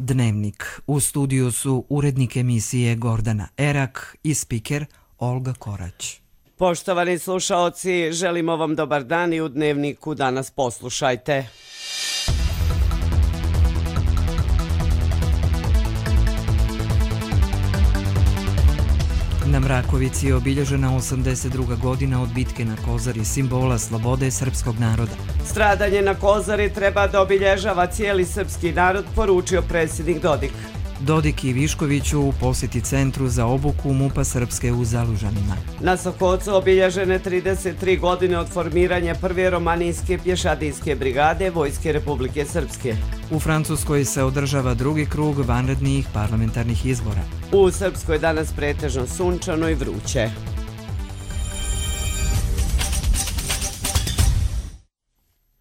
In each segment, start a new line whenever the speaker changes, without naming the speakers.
Dnevnik. U studiju su urednik emisije Gordana Erak i spiker Olga Korać.
Poštovani slušaoci, želimo vam dobar dan i u Dnevniku danas poslušajte.
Na Mrakovici je obilježena 82. godina od bitke na Kozari, simbola slobode srpskog naroda.
Stradanje na Kozari treba da obilježava cijeli srpski narod, poručio predsjednik Dodik.
Dodik i Viškoviću u posjeti centru za obuku MUP-a Srpske u Zalužanima.
Na Sokocu obilježene 33 godine od formiranja prve romanijske pješadijske brigade Vojske Republike Srpske.
U Francuskoj se održava drugi krug vanrednih parlamentarnih izbora.
U Srpskoj danas pretežno sunčano i vruće.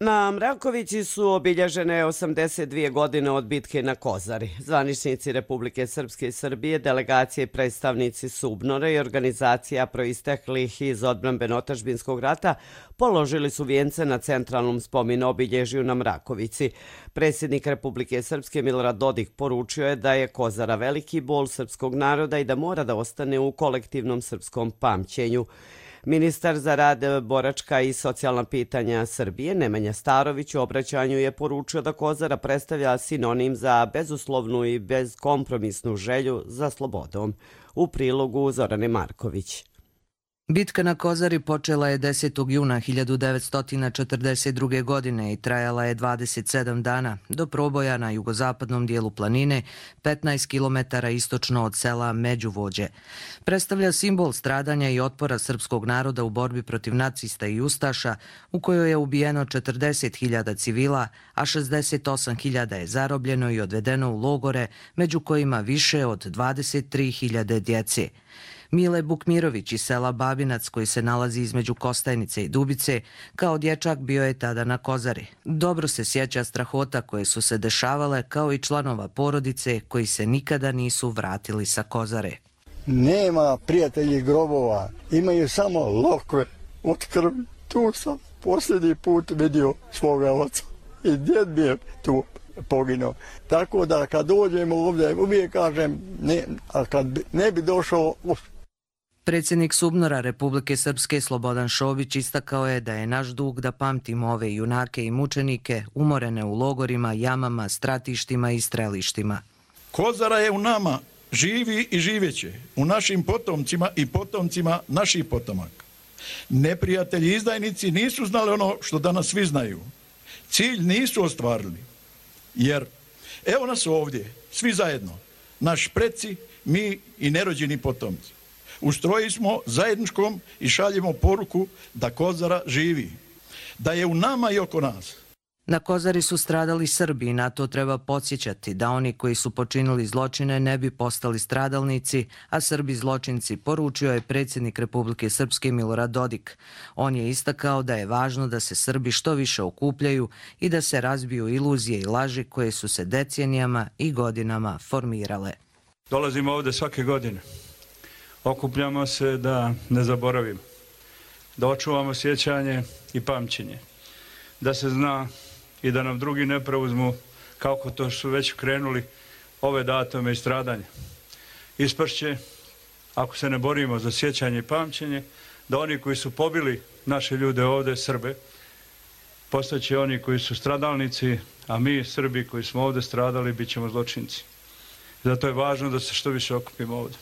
Na Mrakovici su obilježene 82 godine od bitke na Kozari. Zvaničnici Republike Srpske i Srbije, delegacije i predstavnici Subnora i organizacija proisteklih iz odbrambeno-otadžbinskog rata položili su vijence na centralnom spomen obilježju na Mrakovici. Predsjednik Republike Srpske Milorad Dodik poručio je da je Kozara veliki bol srpskog naroda i da mora da ostane u kolektivnom srpskom pamćenju. Ministar za rad, boračka i socijalna pitanja Srbije Nemanja Starović u obraćanju je poručio da Kozara predstavlja sinonim za bezuslovnu i bezkompromisnu želju za slobodom. U prilogu Zorane Marković.
Bitka na Kozari počela je 10. juna 1942. godine i trajala je 27 dana do proboja na jugozapadnom dijelu planine, 15 km istočno od sela Međuvođe. Predstavlja simbol stradanja i otpora srpskog naroda u borbi protiv nacista i ustaša, u kojoj je ubijeno 40.000 civila, a 68.000 je zarobljeno i odvedeno u logore, među kojima više od 23.000 djece. Mile Bukmirović iz sela Babinac, koji se nalazi između Kostajnice i Dubice, kao dječak bio je tada na Kozari. Dobro se sjeća strahota koje su se dešavale, kao i članova porodice koji se nikada nisu vratili sa Kozare.
Nema prijatelji grobova, imaju samo lokve od krvi. Tu sam posljednji put vidio svoga oca i djed mi je tu poginuo. Tako da kad dođem ovdje uvijek kažem, ne, a kad ne bi došao...
Predsjednik Subnora Republike Srpske Slobodan Šobić istakao je da je naš dug da pamtimo ove junake i mučenike umorene u logorima, jamama, stratištima i strelištima.
Kozara je u nama, živi i živeće, u našim potomcima i potomcima naših potomaka. Neprijatelji izdajnici nisu znali ono što danas svi znaju. Cilj nisu ostvarili, jer evo nas ovdje, svi zajedno, naš preci, mi i nerođeni potomci. U stroji smo zajedničkom i šaljemo poruku da Kozara živi, da je u nama i oko nas.
Na Kozari su stradali Srbi i na to treba podsjećati da oni koji su počinili zločine ne bi postali stradalnici, a Srbi zločinci, poručio je predsjednik Republike Srpske Milorad Dodik. On je istakao da je važno da se Srbi što više okupljaju i da se razbiju iluzije i laži koje su se decenijama i godinama formirale.
Dolazimo ovdje svake godine. Okupljamo se da ne zaboravimo, da očuvamo sjećanje i pamćenje, da se zna i da nam drugi ne preuzmu kako to su već krenuli ove datume i stradanja. Ispašće, ako se ne borimo za sjećanje i pamćenje, da oni koji su pobili naše ljude ovdje, Srbe, postaće oni koji su stradalnici, a mi, Srbi koji smo ovdje stradali, bit ćemo zločinci. Zato je važno da se što više okupimo ovdje.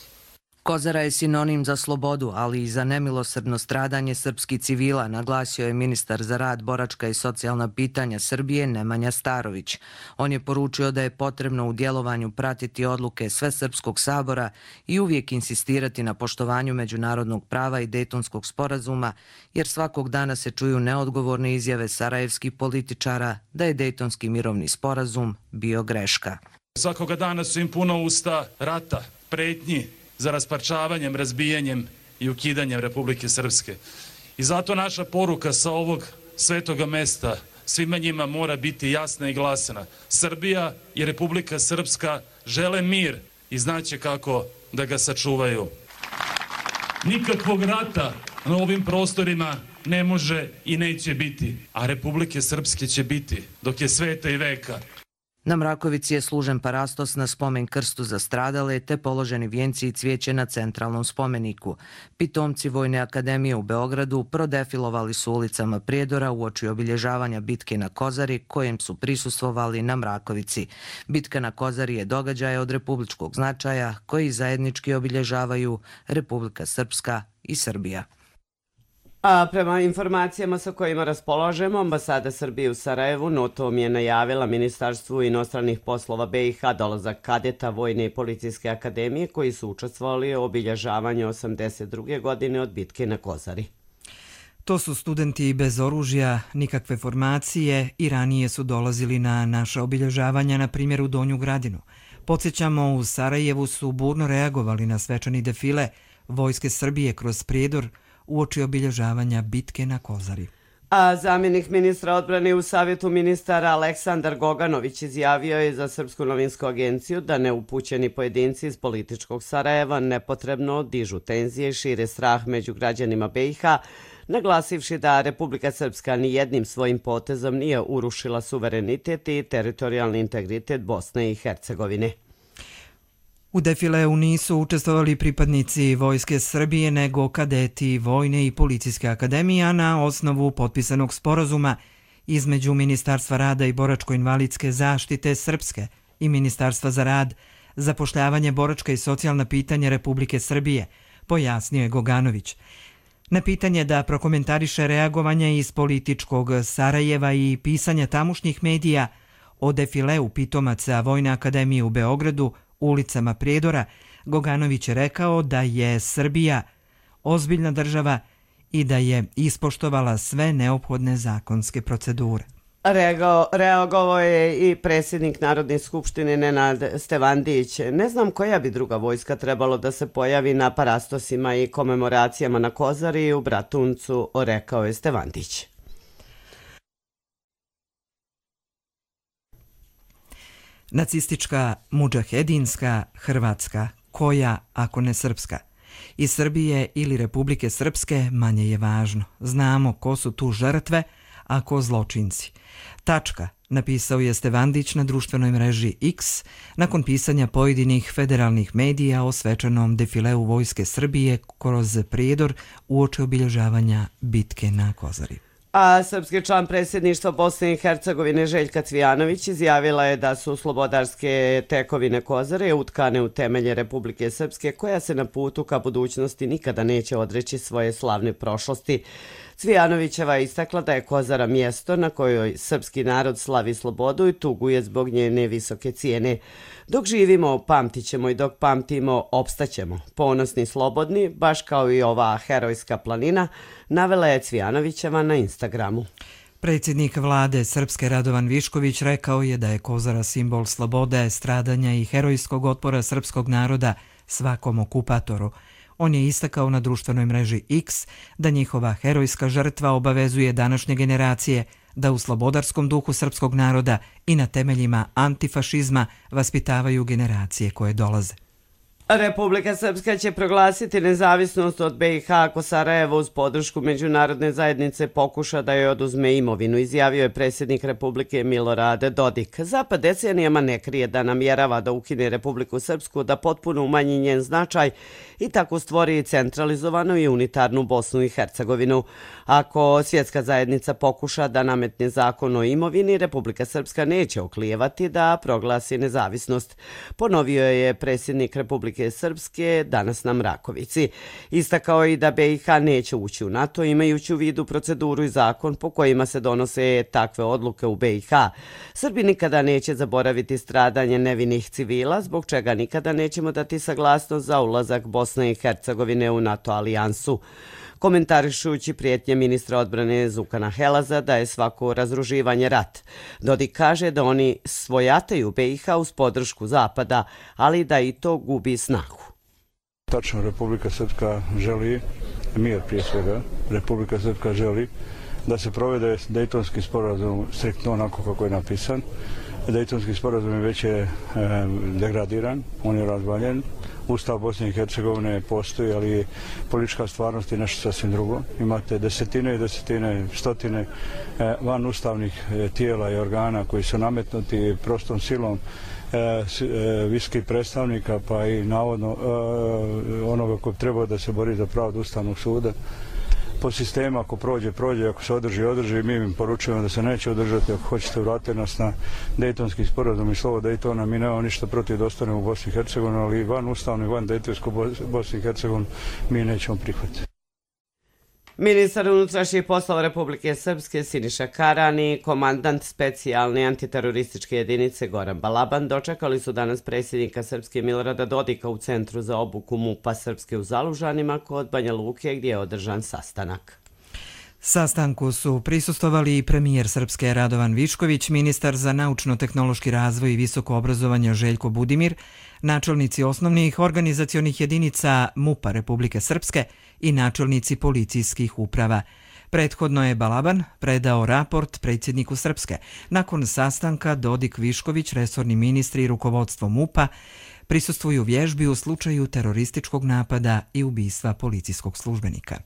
Kozara je sinonim za slobodu, ali i za nemilosrdno stradanje srpskih civila, naglasio je ministar za rad, boračka i socijalna pitanja Srbije Nemanja Starović. On je poručio da je potrebno u djelovanju pratiti odluke Svesrpskog sabora i uvijek insistirati na poštovanju međunarodnog prava i Dejtonskog sporazuma, jer svakog dana se čuju neodgovorne izjave sarajevskih političara da je Dejtonski mirovni sporazum bio greška.
Svakoga dana su im puno usta rata, pretnji za rasparčavanjem, razbijanjem i ukidanjem Republike Srpske. I zato naša poruka sa ovog svetoga mesta svima njima mora biti jasna i glasna. Srbija i Republika Srpska žele mir i znaće kako da ga sačuvaju. Nikakvog rata na ovim prostorima ne može i neće biti, a Republike Srpske će biti dok je sveta i veka.
Na Mrakovici je služen parastos na spomen krstu za stradale te položeni vijenci i cvijeće na centralnom spomeniku. Pitomci Vojne akademije u Beogradu prodefilovali su ulicama Prijedora uoči obilježavanja bitke na Kozari kojem su prisustvovali na Mrakovici. Bitka na Kozari je događaj od republičkog značaja koji zajednički obilježavaju Republika Srpska i Srbija.
A prema informacijama sa kojima raspolažemo, ambasada Srbije u Sarajevu notom je najavila Ministarstvu inostranih poslova BiH dolazak kadeta Vojne i policijske akademije koji su učestvovali u obilježavanju 82. godine od bitke na Kozari.
To su studenti bez oružja, nikakve formacije i ranije su dolazili na naše obilježavanja, na primjer u Donju Gradinu. Podsjećamo, u Sarajevu su burno reagovali na svečani defile Vojske Srbije kroz Prijedor uoči obilježavanja bitke na Kozari.
A zamjenik ministra odbrane u Savjetu ministara Aleksandar Goganović izjavio je za Srpsku novinsku agenciju da neupućeni pojedinci iz političkog Sarajeva nepotrebno dižu tenzije i šire strah među građanima BiH, naglasivši da Republika Srpska ni jednim svojim potezom nije urušila suverenitet i teritorijalni integritet Bosne i Hercegovine.
U defileu nisu učestvovali pripadnici Vojske Srbije, nego kadeti Vojne i policijske akademije, a na osnovu potpisanog sporazuma između Ministarstva rada i boračko-invalidske zaštite Srpske i Ministarstva za rad, zapošljavanje, boračka i socijalna pitanja Republike Srbije, pojasnio je Goganović. Na pitanje da prokomentariše reagovanje iz političkog Sarajeva i pisanja tamošnjih medija o defileu pitomaca Vojne akademije u Beogradu ulicama Prijedora, Goganović je rekao da je Srbija ozbiljna država i da je ispoštovala sve neophodne zakonske procedure.
Reagovao je i predsjednik Narodne skupštine Nenad Stevandić. Ne znam koja bi druga vojska trebalo da se pojavi na parastosima i komemoracijama na Kozari i u Bratuncu, rekao je Stevandić.
Nacistička, mudžahedinska, hrvatska, koja ako ne srpska? Iz Srbije ili Republike Srpske manje je važno. Znamo ko su tu žrtve, a ko zločinci. Tačka, napisao je Stevandić na društvenoj mreži X nakon pisanja pojedinih federalnih medija o svečanom defileu Vojske Srbije kroz Prijedor uoči obilježavanja bitke na Kozari.
A srpski član predsjedništva Bosne i Hercegovine Željka Cvijanović izjavila je da su slobodarske tekovine Kozare utkane u temelje Republike Srpske koja se na putu ka budućnosti nikada neće odreći svoje slavne prošlosti. Cvijanovićeva je istakla da je Kozara mjesto na kojoj srpski narod slavi slobodu i tuguje zbog njene visoke cijene. Dok živimo, pamtit ćemo i dok pamtimo, opstaćemo. Ponosni, slobodni, baš kao i ova herojska planina, navela je Cvijanovićeva na Instagramu.
Predsjednik vlade Srpske Radovan Višković rekao je da je Kozara simbol slobode, stradanja i herojskog otpora srpskog naroda svakom okupatoru. On je istakao na društvenoj mreži X da njihova herojska žrtva obavezuje današnje generacije da u slobodarskom duhu srpskog naroda i na temeljima antifašizma vaspitavaju generacije koje dolaze.
Republika Srpska će proglasiti nezavisnost od BiH ako Sarajevo uz podršku međunarodne zajednice pokuša da joj oduzme imovinu, izjavio je predsjednik Republike Milorad Dodik. Zapad decenijama ne krije da namjerava da ukine Republiku Srpsku, da potpuno umanji njen značaj i tako stvori centralizovanu i unitarnu Bosnu i Hercegovinu. Ako svjetska zajednica pokuša da nametne zakon o imovini, Republika Srpska neće oklijevati da proglasi nezavisnost, ponovio je predsjednik Republike Srpske danas na Mrakovici. Istakao je i da BiH neće ući u NATO imajući u vidu proceduru i zakon po kojima se donose takve odluke u BiH. Srbi nikada neće zaboraviti stradanje nevinih civila, zbog čega nikada nećemo dati saglasnost za ulazak Bosne i Hercegovine u NATO alijansu. Komentarišući prijetnje ministra odbrane Zukana Helaza da je svako razruživanje rat. Dodik kaže da oni svojataju BiH uz podršku Zapada, ali da i to gubi snagu.
Tačno, Republika Srpska želi mir prije svega. Republika Srpska želi da se provede Dejtonski sporazum striktno onako kako je napisan. Dejtonski sporazum već je degradiran, on je razvaljen. Ustav Bosne i Hercegovine postoji, ali politička stvarnost je nešto sasvim drugo. Imate desetine i desetine, stotine van ustavnih tijela i organa koji su nametnuti prostom silom visokih predstavnika, pa i navodno onoga koji treba da se bori za pravdu Ustavnog suda. Po sistemu, ako prođe, prođe, ako se održi, mi im poručujemo da se neće održati, ako hoćete vratiti nas na Dejtonski sporazum i slovo Dejtona, mi nemamo ništa protiv da ostanemo u Bosni i Hercegovini, ali van ustavno i van Dejtonsku Bosni i Hercegovini mi nećemo prihvatiti.
Ministar unutrašnjih poslova Republike Srpske Siniša Karani i komandant specijalne antiterorističke jedinice Goran Balaban dočekali su danas predsjednika Srpske Milorada Dodika u Centru za obuku MUP-a Srpske u Zalužanima kod Banja Luke gdje je održan sastanak.
Sastanku su prisustvovali i premijer Srpske Radovan Višković, ministar za naučno-tehnološki razvoj i visoko obrazovanje Željko Budimir, načelnici osnovnih organizacionih jedinica MUP-a Republike Srpske i načelnici policijskih uprava. Prethodno je Balaban predao raport predsjedniku Srpske. Nakon sastanka Dodik, Višković, resorni ministri i rukovodstvo MUP-a prisustvuju vježbi u slučaju terorističkog napada i ubistva policijskog službenika.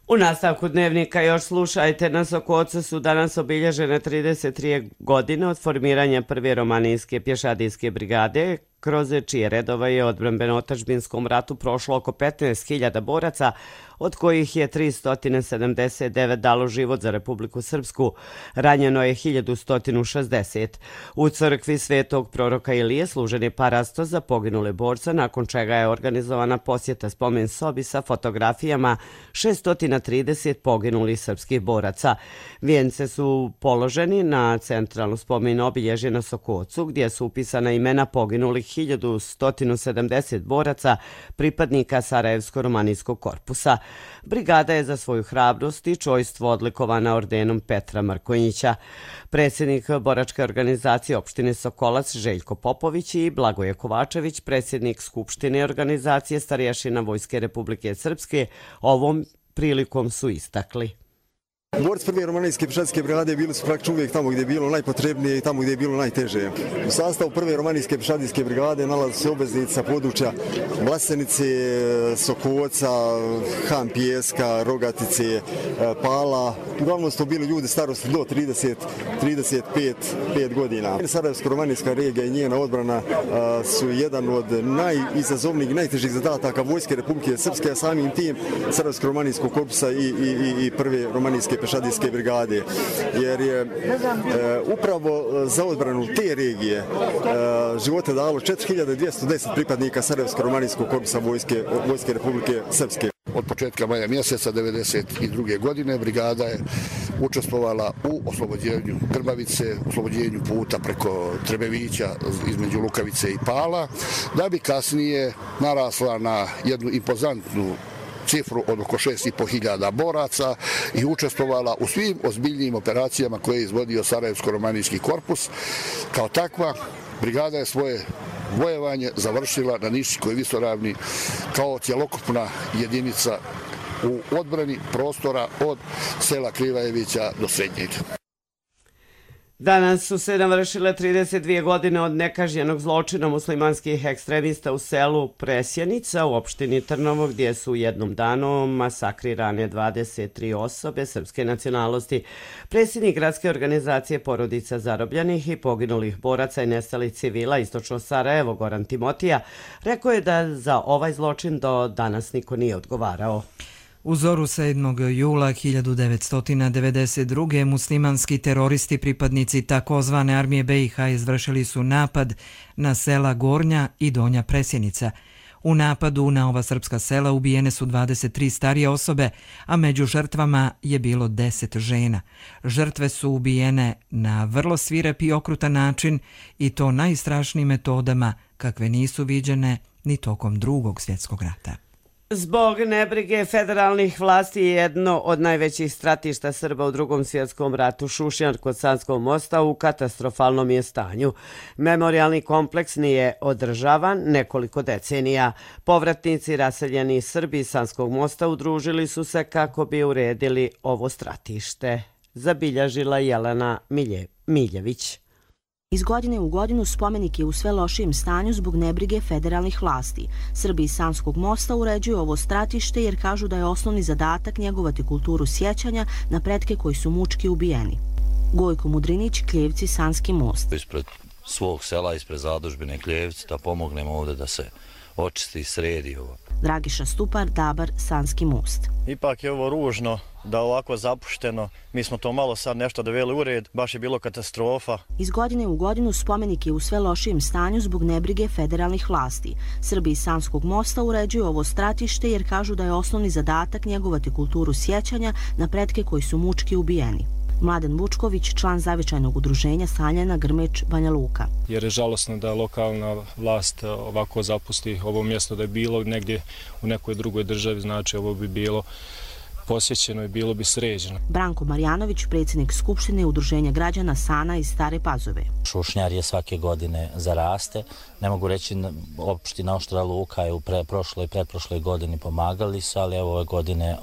U nastavku dnevnika još slušajte, na Sokocu su danas obilježene 33 godine od formiranja prve romanijske pješadijske brigade, kroz čije redova je odbrambeno-otadžbinskom ratu prošlo oko 15.000 boraca, od kojih je 379 dalo život za Republiku Srpsku. Ranjeno je 1160. U crkvi Svetog proroka Ilije služen je parasto za poginule borca, nakon čega je organizovana posjeta spomen sobi sa fotografijama 630 poginulih srpskih boraca. Vijence su položeni na centralnu spomen obilježje na Sokocu, gdje su upisana imena poginulih 1170 boraca, pripadnika Sarajevsko-romanijskog korpusa. Brigada je za svoju hrabrost i čojstvo odlikovana ordenom Petra Markonjića. Predsjednik boračke organizacije opštine Sokolac Željko Popović i Blagoje Kovačević, predsjednik Skupštine organizacije starješina Vojske Republike Srpske, ovom prilikom su istakli.
Borci prve romanijske pješadijske brigade bili su praktično uvijek tamo gdje je bilo najpotrebnije i tamo gdje je bilo najteže. U sastavu prve romanijske pješadijske brigade nalaze se obveznici sa područja Vlasenice, Sokoca, Han Pijeska, Rogatice, Pala. Uglavnom su to bili ljudi starosti do 30-35 godina. Sarajevsko-romanijska regija i njena odbrana su jedan od najizazovnijih, najtežih zadataka Vojske Republike Srpske, a samim tim Sarajevsko-romanijskog korpusa i prve romanijske pješadijske brigade, jer je upravo za odbranu te regije živote dalo 4210 pripadnika Sarajevsko-romanijskog korpusa Vojske Republike Srpske.
Od početka maja mjeseca 1992. godine brigada je učestvovala u oslobođenju Grbavice, oslobođenju puta preko Trebevića između Lukavice i Pala, da bi kasnije narasla na jednu impozantnu cifru od oko 6.500 boraca i učestvovala u svim ozbiljnijim operacijama koje je izvodio Sarajevsko-romanijski korpus. Kao takva, brigada je svoje vojevanje završila na Niškoj visoravni kao cjelokupna jedinica u odbrani prostora od sela Krivajevića do Srednjeg.
Danas su se navršile 32 godine od nekažnjenog zločina muslimanskih ekstremista u selu Presjenica u opštini Trnovo, gdje su u jednom danu masakrirane 23 osobe srpske nacionalnosti. Predsjednik gradske organizacije porodica zarobljenih i poginulih boraca i nestalih civila istočno Sarajevo Goran Timotija rekao je da za ovaj zločin do danas niko nije odgovarao.
U zoru 7. jula 1992. muslimanski teroristi pripadnici takozvane armije BiH izvršili su napad na sela Gornja i Donja Presjenica. U napadu na ova srpska sela ubijene su 23 starije osobe, a među žrtvama je bilo 10 žena. Žrtve su ubijene na vrlo svirep i okrutan način i to najstrašnijim metodama kakve nisu viđene ni tokom Drugog svjetskog rata.
Zbog nebrige federalnih vlasti jedno od najvećih stratišta Srba u Drugom svjetskom ratu, Šušnjar kod Sanskog mosta, u katastrofalnom je stanju. Memorijalni kompleks nije održavan nekoliko decenija. Povratnici raseljeni Srbi iz Sanskog mosta udružili su se kako bi uredili ovo stratište. Zabilježila Jelena Miljević.
Iz godine u godinu spomenik je u sve lošijem stanju zbog nebrige federalnih vlasti. Srbi iz Sanskog mosta uređuju ovo stratište jer kažu da je osnovni zadatak njegovati kulturu sjećanja na pretke koji su mučki ubijeni. Gojko Mudrinić, Kljevci, Sanski most.
Ispred svog sela, ispred zadužbine Kljevci, da pomognemo ovdje da se očisti i sredi ovo.
Dragiša Stupar, Dabar, Sanski most.
Ipak je ovo ružno da ovako zapušteno. Mi smo to malo sad nešto doveli u red, baš je bilo katastrofa.
Iz godine u godinu spomenik je u sve lošijem stanju zbog nebrige federalnih vlasti. Srbi iz Sanskog mosta uređuju ovo stratište jer kažu da je osnovni zadatak njegovati kulturu sjećanja na pretke koji su mučki ubijeni. Mladen Vučković, član zavičajnog udruženja Saljana, Grmeč, Banja Luka.
Jer je žalosno da lokalna vlast ovako zapusti ovo mjesto, da je bilo negdje u nekoj drugoj državi, znači ovo bi bilo posjećeno i bilo bi sređeno.
Branko Marjanović, predsjednik Skupštine Udruženja građana Sana iz Stare Pazove.
Šušnjar je svake godine zaraste. Ne mogu reći, opština Oštra Luka je u prošloj i pretprošloj godini pomagali su, ali evo ove godine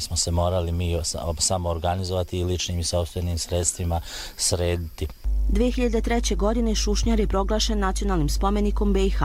smo se morali mi samo organizovati i ličnim i sopstvenim sredstvima srediti.
2003. godine Šušnjar je proglašen nacionalnim spomenikom BiH.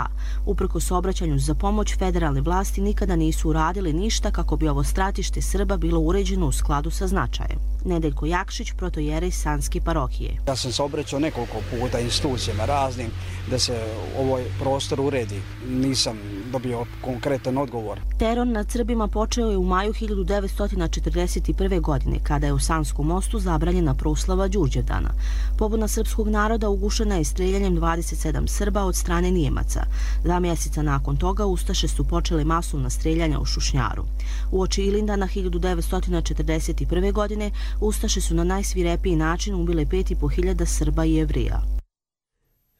Uprkos obraćanju za pomoć, federalne vlasti nikada nisu uradili ništa kako bi ovo stratište Srba bilo uređeno u skladu sa značajem. Nedeljko Jakšić, protojerej Sanske parohije.
Ja sam se obraćao nekoliko puta institucijama raznim da se ovaj prostor uredi. Nisam dobio konkretan odgovor.
Teror nad Srbima počeo je u maju 1941. godine, kada je u Sanskom mostu zabranjena proslava Đurđevdana. Pobuna srpskog naroda ugušena je streljanjem 27 Srba od strane Nijemaca. 2 mjeseca nakon toga Ustaše su počele masovna streljanja u Šušnjaru. Uoči Ilindana 1941. godine Ustaše su na najsvirepiji način ubile 5.500 Srba i Jevrija.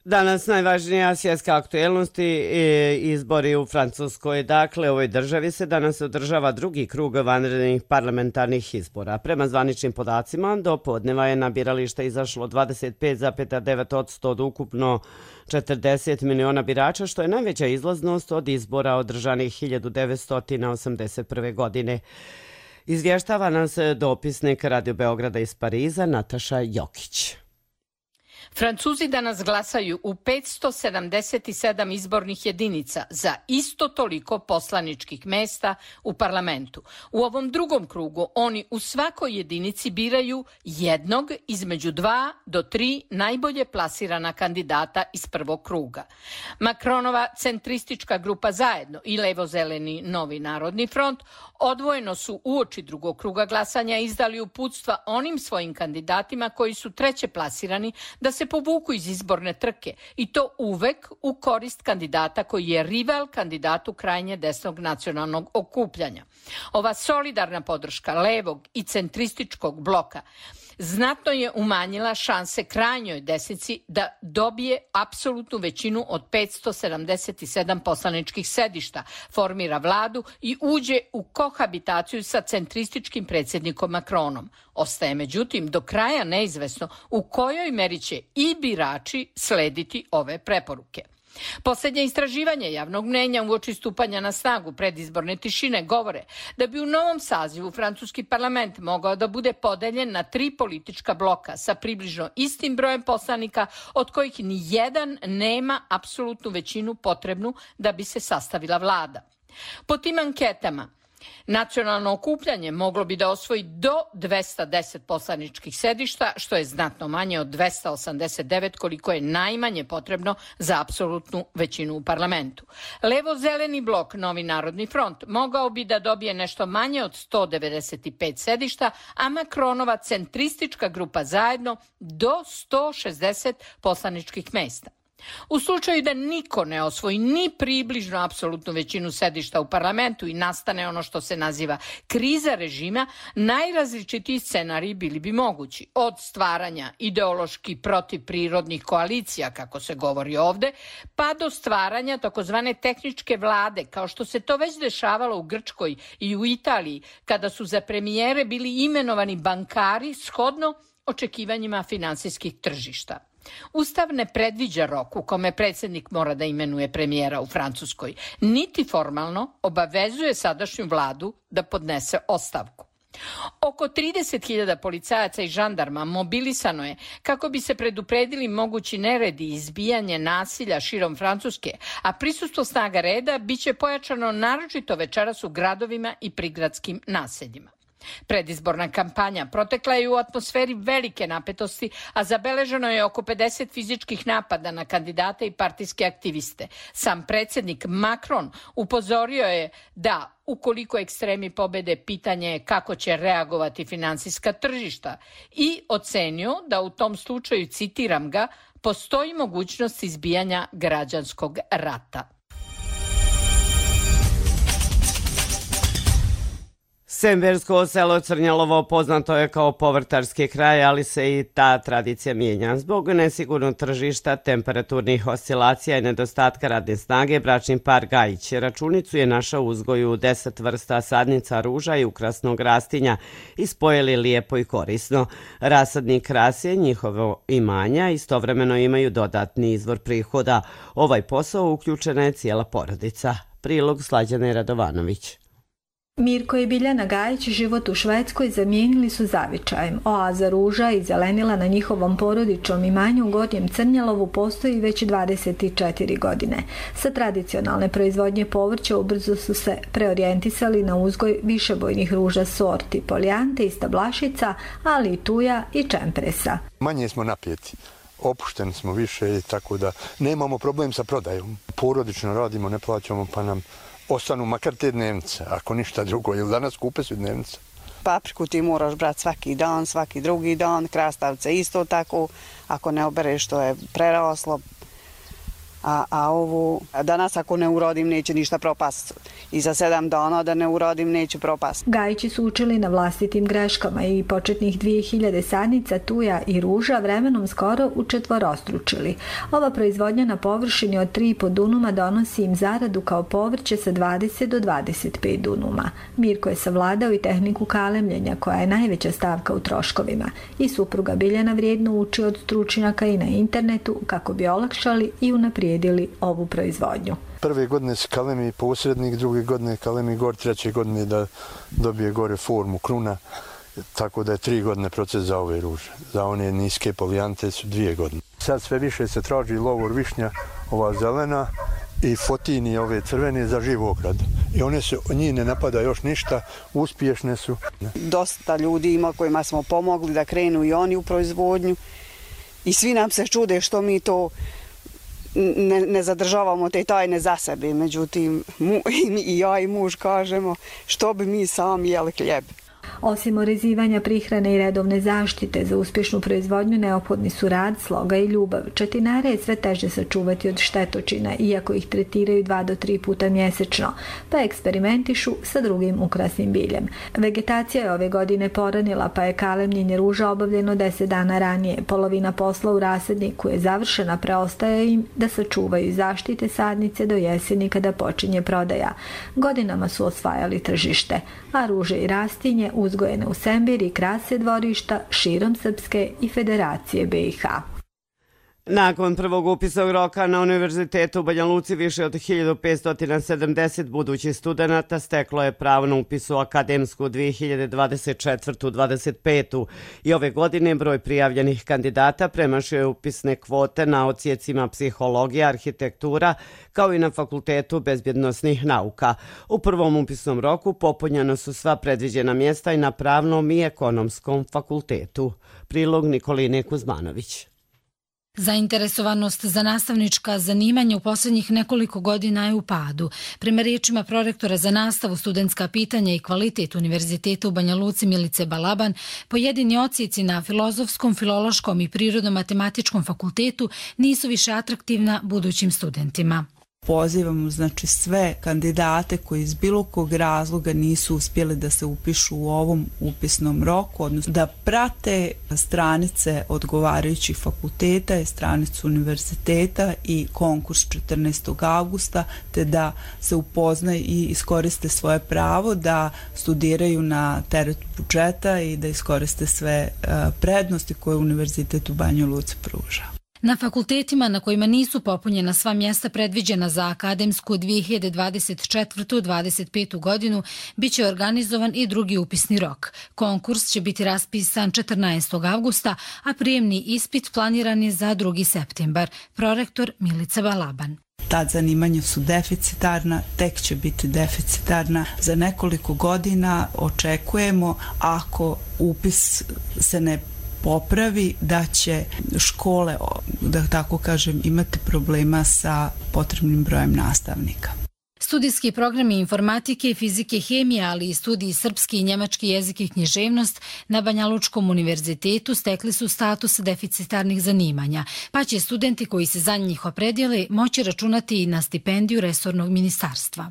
Danas najvažnija svjetska aktuelnost i izbori u Francuskoj. Dakle, u ovoj državi se danas održava drugi krug vanrednih parlamentarnih izbora. Prema zvaničnim podacima, do podneva je na birališta izašlo 25,9% od ukupno 40 miliona birača, što je najveća izlaznost od izbora održanih 1981. godine. Izvještava nas dopisnik Radio Beograda iz Pariza, Nataša Jokić.
Francuzi danas glasaju u 577 izbornih jedinica za isto toliko poslaničkih mesta u parlamentu. U ovom drugom krugu oni u svakoj jedinici biraju jednog između 2 do 3 najbolje plasirana kandidata iz prvog kruga. Macronova centristička grupa Zajedno i levo-zeleni Novi narodni front odvojeno su uoči drugog kruga glasanja izdali uputstva onim svojim kandidatima koji su treće plasirani da se povuku iz izborne trke i to uvek u korist kandidata koji je rival kandidatu krajnje desnog nacionalnog okupljanja. Ova solidarna podrška levog i centrističkog bloka znatno je umanjila šanse krajnjoj desnici da dobije apsolutnu većinu od 577 poslaničkih sedišta, formira vladu i uđe u kohabitaciju sa centrističkim predsjednikom Macronom. Ostaje međutim do kraja neizvesno u kojoj meri će i birači slediti ove preporuke. Posljednje istraživanje javnog mnjenja uoči stupanja na snagu predizborne tišine govore da bi u novom sazivu francuski parlament mogao da bude podeljen na 3 politička bloka sa približno istim brojem poslanika, od kojih ni jedan nema apsolutnu većinu potrebnu da bi se sastavila vlada. Po tim anketama nacionalno okupljanje moglo bi da osvoji do 210 poslaničkih sedišta, što je znatno manje od 289 koliko je najmanje potrebno za apsolutnu većinu u parlamentu. Levo-zeleni blok Novi narodni front mogao bi da dobije nešto manje od 195 sedišta, a Macronova centristička grupa Zajedno do 160 poslaničkih mesta. U slučaju da niko ne osvoji ni približno apsolutnu većinu sedišta u parlamentu i nastane ono što se naziva kriza režima, najrazličitiji scenariji bili bi mogući. Od stvaranja ideološki protivprirodnih koalicija, kako se govori ovde, pa do stvaranja takozvane tehničke vlade, kao što se to već dešavalo u Grčkoj i u Italiji, kada su za premijere bili imenovani bankari shodno očekivanjima finansijskih tržišta. Ustav ne predviđa rok u kome predsjednik mora da imenuje premijera u Francuskoj, niti formalno obavezuje sadašnju vladu da podnese ostavku. Oko 30.000 policajaca i žandarma mobilisano je kako bi se predupredili mogući neredi i izbijanje nasilja širom Francuske, a prisustvo snaga reda biće pojačano naročito večeras u gradovima i prigradskim naseljima. Predizborna kampanja protekla je u atmosferi velike napetosti, a zabeleženo je oko 50 fizičkih napada na kandidate i partijske aktiviste. Sam predsjednik Macron upozorio je da ukoliko ekstremi pobede, pitanje je kako će reagovati finansijska tržišta i ocenio da u tom slučaju, citiram ga, postoji mogućnost izbijanja građanskog rata.
Sembersko selo Crnjalovo poznato je kao povrtarski kraj, ali se i ta tradicija mijenja. Zbog nesigurnog tržišta, temperaturnih oscilacija i nedostatka radne snage, bračni par Gajić Računicu je našao u uzgoju 10 vrsta sadnica ruža i ukrasnog rastinja i spojili lijepo i korisno. Rasadnik krase njihovo imanja istovremeno imaju dodatni izvor prihoda. Ovaj posao uključena je cijela porodica. Prilog Slađane Radovanović.
Mirko i Biljana Gajić život u Švedskoj zamijenili su zavičajem. Oaza ruža i zelenila na njihovom porodičnom imanju u Gornjem Crnjalovu postoji već 24 godine. Sa tradicionalne proizvodnje povrća ubrzo su se preorijentisali na uzgoj višebojnih ruža sorti, polijante i stablašica, ali i tuja i čempresa.
Manje smo napjeti. Opušteni smo više, tako da nemamo problem sa prodajom. Porodično radimo, ne plaćamo, pa nam ostanu makar te dnevnice, ako ništa drugo, jer danas kupe su dnevnice.
Papriku ti moraš brati svaki dan, svaki drugi dan, krastavce isto tako, ako ne obereš to je preraslo. A ovu, danas ako ne urodim neće ništa propast. I za 7 dana da ne urodim neće propast.
Gajići su učili na vlastitim greškama i početnih 2000 sadnica tuja i ruža vremenom skoro učetvorostručili. Ova proizvodnja na površini od 3,5 dunuma donosi im zaradu kao povrće sa 20 do 25 dunuma. Mirko je savladao i tehniku kalemljenja koja je najveća stavka u troškovima. I supruga Biljana vrijedno uči od stručnjaka i na internetu kako bi olakšali i unaprijedili ovu proizvodnju.
Prve godine se kalemi posrednik, druge godine kalemi gor, treće godine da dobije gore formu kruna, tako da je 3 godine proces za ove ruže. Za one niske polijante su 2 godine. Sad sve više se traži lovor višnja, ova zelena i fotini ove crvene za živ ograd. I one se, njih ne napada još ništa, uspješne su.
Dosta ljudi ima kojima smo pomogli da krenu i oni u proizvodnju i svi nam se čude što mi to ne zadržavamo te tajne za sebe, međutim i ja i muž kažemo što bi mi sami jeli hljeb.
Osim orezivanja prihrane i redovne zaštite za uspješnu proizvodnju neophodni su rad, sloga i ljubav. Četinare je sve teže sačuvati od štetočina, iako ih tretiraju 2 do 3 puta mjesečno, pa eksperimentišu sa drugim ukrasnim biljem. Vegetacija je ove godine poranila, pa je kalemljenje ruža obavljeno 10 dana ranije. Polovina posla u rasadniku je završena, preostaje im da sačuvaju zaštite sadnice do jeseni kada počinje prodaja. Godinama su osvajali tržište, a ruže i rastinje uzgojene u Sembiri krase dvorišta širom Srpske i Federacije BiH.
Nakon prvog upisnog roka na Univerzitetu u Banja Luci više od 1570 budućih studenata steklo je pravo na upis u akademsku 2024-25. I ove godine broj prijavljenih kandidata premašio je upisne kvote na odsjecima psihologija, arhitektura, kao i na Fakultetu bezbjednosnih nauka. U prvom upisnom roku popunjena su sva predviđena mjesta i na Pravnom i Ekonomskom fakultetu. Prilog Nikoline Kuzmanović.
Zainteresovanost za nastavnička zanimanja u posljednjih nekoliko godina je u padu. Prema riječima prorektora za nastavu, studentska pitanja i kvalitet Univerziteta u Banja Luci Milice Balaban, pojedini odsjeci na Filozofskom, Filološkom i Prirodno-matematičkom fakultetu nisu više atraktivna budućim studentima.
Pozivamo znači sve kandidate koji iz bilo kog razloga nisu uspjeli da se upišu u ovom upisnom roku, odnosno da prate stranice odgovarajućih fakulteta i stranicu univerziteta i konkurs 14. augusta, te da se upoznaju i iskoriste svoje pravo da studiraju na teret budžeta i da iskoriste sve prednosti koje Univerzitet u Banji Luci pruža.
Na fakultetima na kojima nisu popunjena sva mjesta predviđena za akademsku 2024-25. godinu biće organizovan i drugi upisni rok. Konkurs će biti raspisan 14. avgusta, a prijemni ispit planiran je za 2. septembar. Prorektor Milica Balaban.
Ta zanimanja su deficitarna, tek će biti deficitarna. Za nekoliko godina očekujemo, ako upis se ne popravi, da će škole, da tako kažem, imati problema sa potrebnim brojem nastavnika.
Studijski programi informatike, fizike, hemije, ali i studiji srpski i njemački jezik i književnost na Banjalučkom univerzitetu stekli su status deficitarnih zanimanja, pa će studenti koji se za njih opredijele moći računati i na stipendiju resornog ministarstva.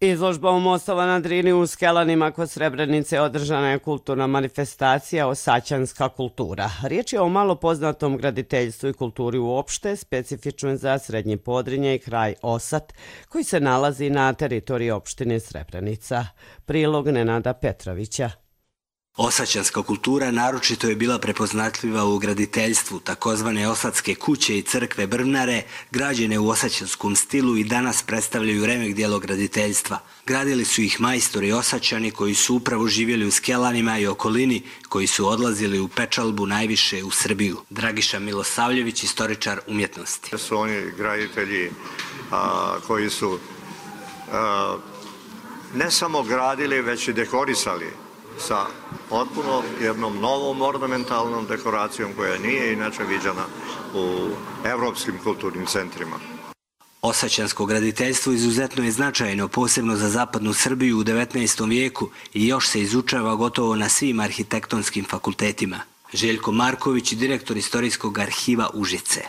Izložbom Mostova na Drini u Skelanima kod Srebrenice održana je kulturna manifestacija Osaćanska kultura. Riječ je o malo poznatom graditeljstvu i kulturi uopšte, specifično za Srednje Podrinje i kraj Osat, koji se nalazi na teritoriji opštine Srebrenica. Prilog Nenada Petrovića.
Osaćanska kultura naročito je bila prepoznatljiva u graditeljstvu. Takozvane osatske kuće i crkve Brvnare, građene u osaćanskom stilu, i danas predstavljaju remek dijelo graditeljstva. Gradili su ih majstori Osaćani koji su upravo živjeli u Skelanima i okolini, koji su odlazili u pečalbu najviše u Srbiju. Dragiša Milosavljević, istoričar umjetnosti.
Su oni graditelji koji su ne samo gradili, već i dekorisali sa potpuno jednom novom ornamentalnom dekoracijom koja nije inače viđena u evropskim kulturnim centrima.
Osaćansko graditeljstvo izuzetno je značajno, posebno za zapadnu Srbiju u 19. vijeku, i još se izučava gotovo na svim arhitektonskim fakultetima. Željko Marković, direktor Istorijskog arhiva Užice.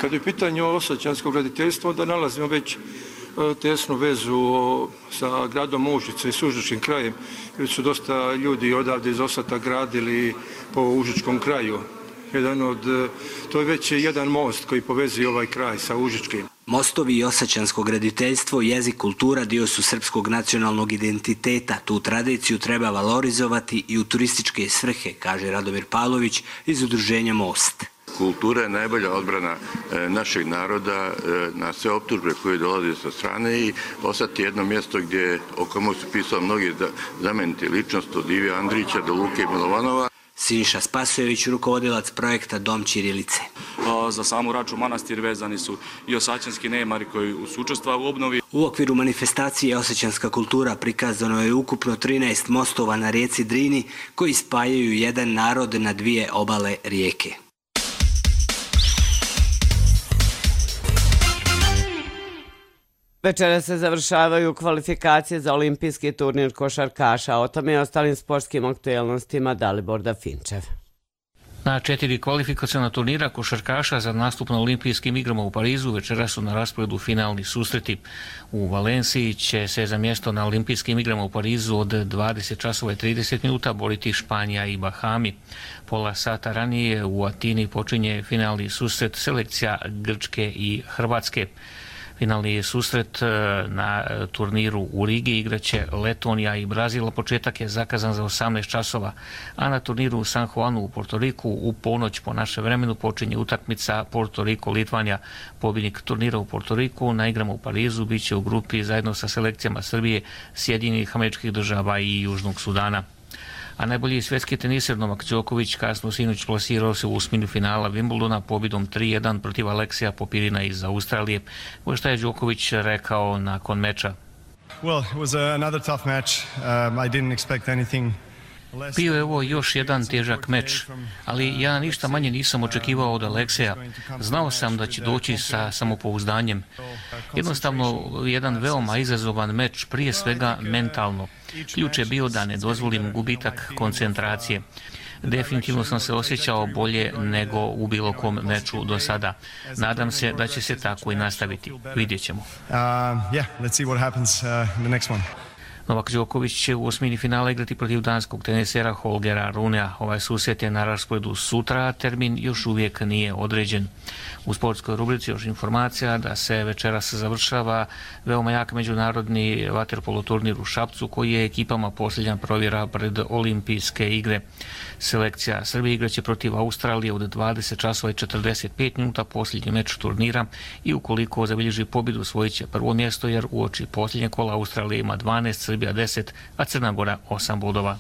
Kad je pitanje o osaćansko graditeljstvo, onda nalazimo već tesnu vezu sa gradom Užice i s Užičkim krajem, jer su dosta ljudi odavde iz Osata gradili po Užičkom kraju. To je već jedan most koji povezuje ovaj kraj sa Užičkim.
Mostovi i osaćansko graditeljstvo, jezik, kultura dio su srpskog nacionalnog identiteta. Tu tradiciju treba valorizovati i u turističke svrhe, kaže Radomir Pavlović iz udruženja Most.
Kultura je najbolja odbrana našeg naroda na sve optužbe koje dolaze sa strane, i Osat je jedno mjesto o komu su pisali mnogi znameniti ličnosti, od Ive Andrića do Luke Milovanova.
Siniša Spasojević, rukovodilac projekta Dom ćirilice.
Za samu Raču manastir vezani su i osaćanski nemari koji su učestvovali u obnovi.
U okviru manifestacije Osaćanska kultura prikazano je ukupno 13 mostova na rijeci Drini koji spajaju jedan narod na dvije obale rijeke.
Večera se završavaju kvalifikacije za olimpijski turnir košarkaša. O tome i ostalim sportskim aktuelnostima Dalibor Dafinčev.
Na 4 kvalifikaciona turnira košarkaša za nastup na olimpijskim igrama u Parizu večera su na rasporedu finalni susreti. U Valenciji će se za mjesto na olimpijskim igrama u Parizu od 20:30 boriti Španija i Bahami. Pola sata ranije u Atini počinje finalni susret selekcija Grčke i Hrvatske. Finalni susret na turniru u Rigi igraće Letonija i Brazil. Početak je zakazan za 18 časova, a na turniru u San Juanu u Portoriku u ponoć po našem vremenu počinje utakmica Porto Riko-Litvanija. Pobjednik turnira u Portoriku na igrama u Parizu bit će u grupi zajedno sa selekcijama Srbije, Sjedinjenih Američkih Država i Južnog Sudana. A najbolji svjetski teniser Novak Đoković kasno sinoć plasirao se u osminu finala Wimbledona pobjedom 3-1 protiv Aleksija Popirina iz Australije. Šta je Đoković rekao nakon meča?
Well, it was another tough match. I didn't expect anything.
Bio je ovo još jedan težak meč, ali ja ništa manje nisam očekivao od Alekseja. Znao sam da će doći sa samopouzdanjem. Jednostavno, jedan veoma izazovan meč, prije svega mentalno. Ključ je bio da ne dozvolim gubitak koncentracije. Definitivno sam se osjećao bolje nego u bilo kom meču do sada. Nadam se da će se tako i nastaviti. Vidjet ćemo.
Let's see what happens the next one.
Novak Đoković će u osmini finala igrati protiv danskog tenisera Holgera Runea. Ovaj susret je na rasporedu sutra, a termin još uvijek nije određen. U sportskoj rubrici još informacija da se večeras završava veoma jak međunarodni vaterpolo turnir u Šapcu koji je ekipama posljednja provjera pred olimpijske igre. Selekcija Srbije igraće protiv Australije od 20 časova i 45 minuta posljednji meč turnira i ukoliko zabilježi pobjedu osvojit će prvo mjesto jer uoči posljednje kola Australija ima 12, Srbija 10, a Crna Gora 8 bodova.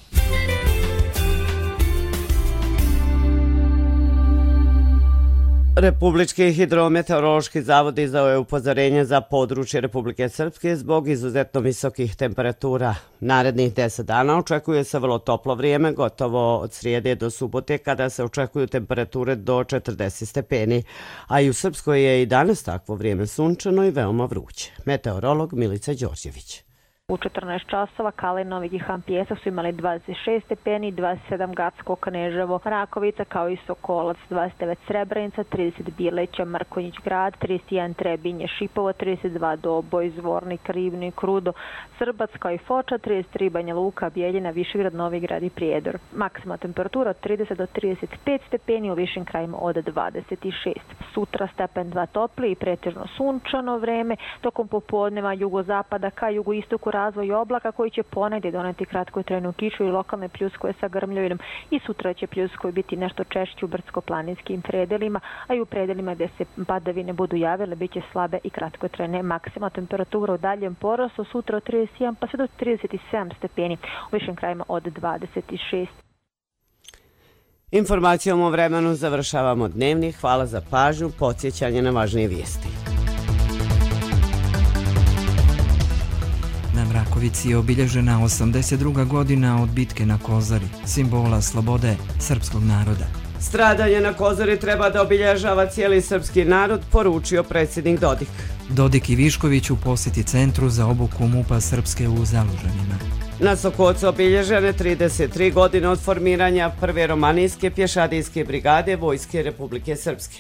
Republički hidrometeorološki zavod izdao je upozorenje za područje Republike Srpske zbog izuzetno visokih temperatura. Narednih 10 dana očekuje se vrlo toplo vrijeme, gotovo od srijede do subote kada se očekuju temperature do 40 stepeni, a i u Srpskoj je i danas takvo vrijeme sunčano i veoma vruće. Meteorolog Milica Đorđević.
U 14 časova Kalinović i Hampijesak su imali 26 stepeni, 27 Gacko, Kneževo, Rakovica kao i Sokolac, 29 Srebrenica, 30 Bileća, Mrkonjić grad, 31 Trebinje, Šipovo, 32 Doboj, Zvornik, Rivnik, Rudo, Srbac kao i Foča, 33 Banja Luka, Bijeljina, Višegrad, Novigrad i Prijedor. Maksimalna temperatura od 30 do 35 stepeni, u višim krajima od 26. Sutra stepen 2 topli i pretežno sunčano vreme, tokom popodneva jugozapada ka jugoistoku razvoj oblaka koji će ponegdje doneti kratkotrajnu kišu i lokalne pljuskove sa grmljovinom i sutra će pljuskovi biti nešto češći u brdsko-planinskim predelima, a i u predelima gdje se padavine budu javile bit će slabe i kratkotrajne. Maksimalna temperatura u daljem porastu sutra od 31 pa sve do 37 stepeni, u višim krajima od 26.
Informacijom o vremenu završavamo dnevnik. Hvala za pažnju, podsjećanje na važnije vijesti.
Na Mrakovici je obilježena 82. godina od bitke na Kozari, simbola slobode srpskog naroda.
Stradanje na Kozari treba da obilježava cijeli srpski narod, poručio predsjednik Dodik.
Dodik i Višković u posjeti centru za obuku MUP-a Srpske u Zalužanima.
Na Sokocu obilježene 33 godine od formiranja prve romanijske pješadijske brigade Vojske Republike Srpske.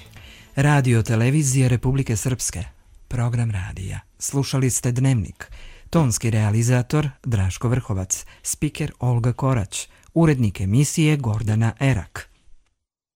Radio televizije Republike Srpske. Program radija. Slušali ste Dnevnik. Tonski realizator Draško Vrhovac, spiker Olga Korać, urednik emisije Gordana Erak.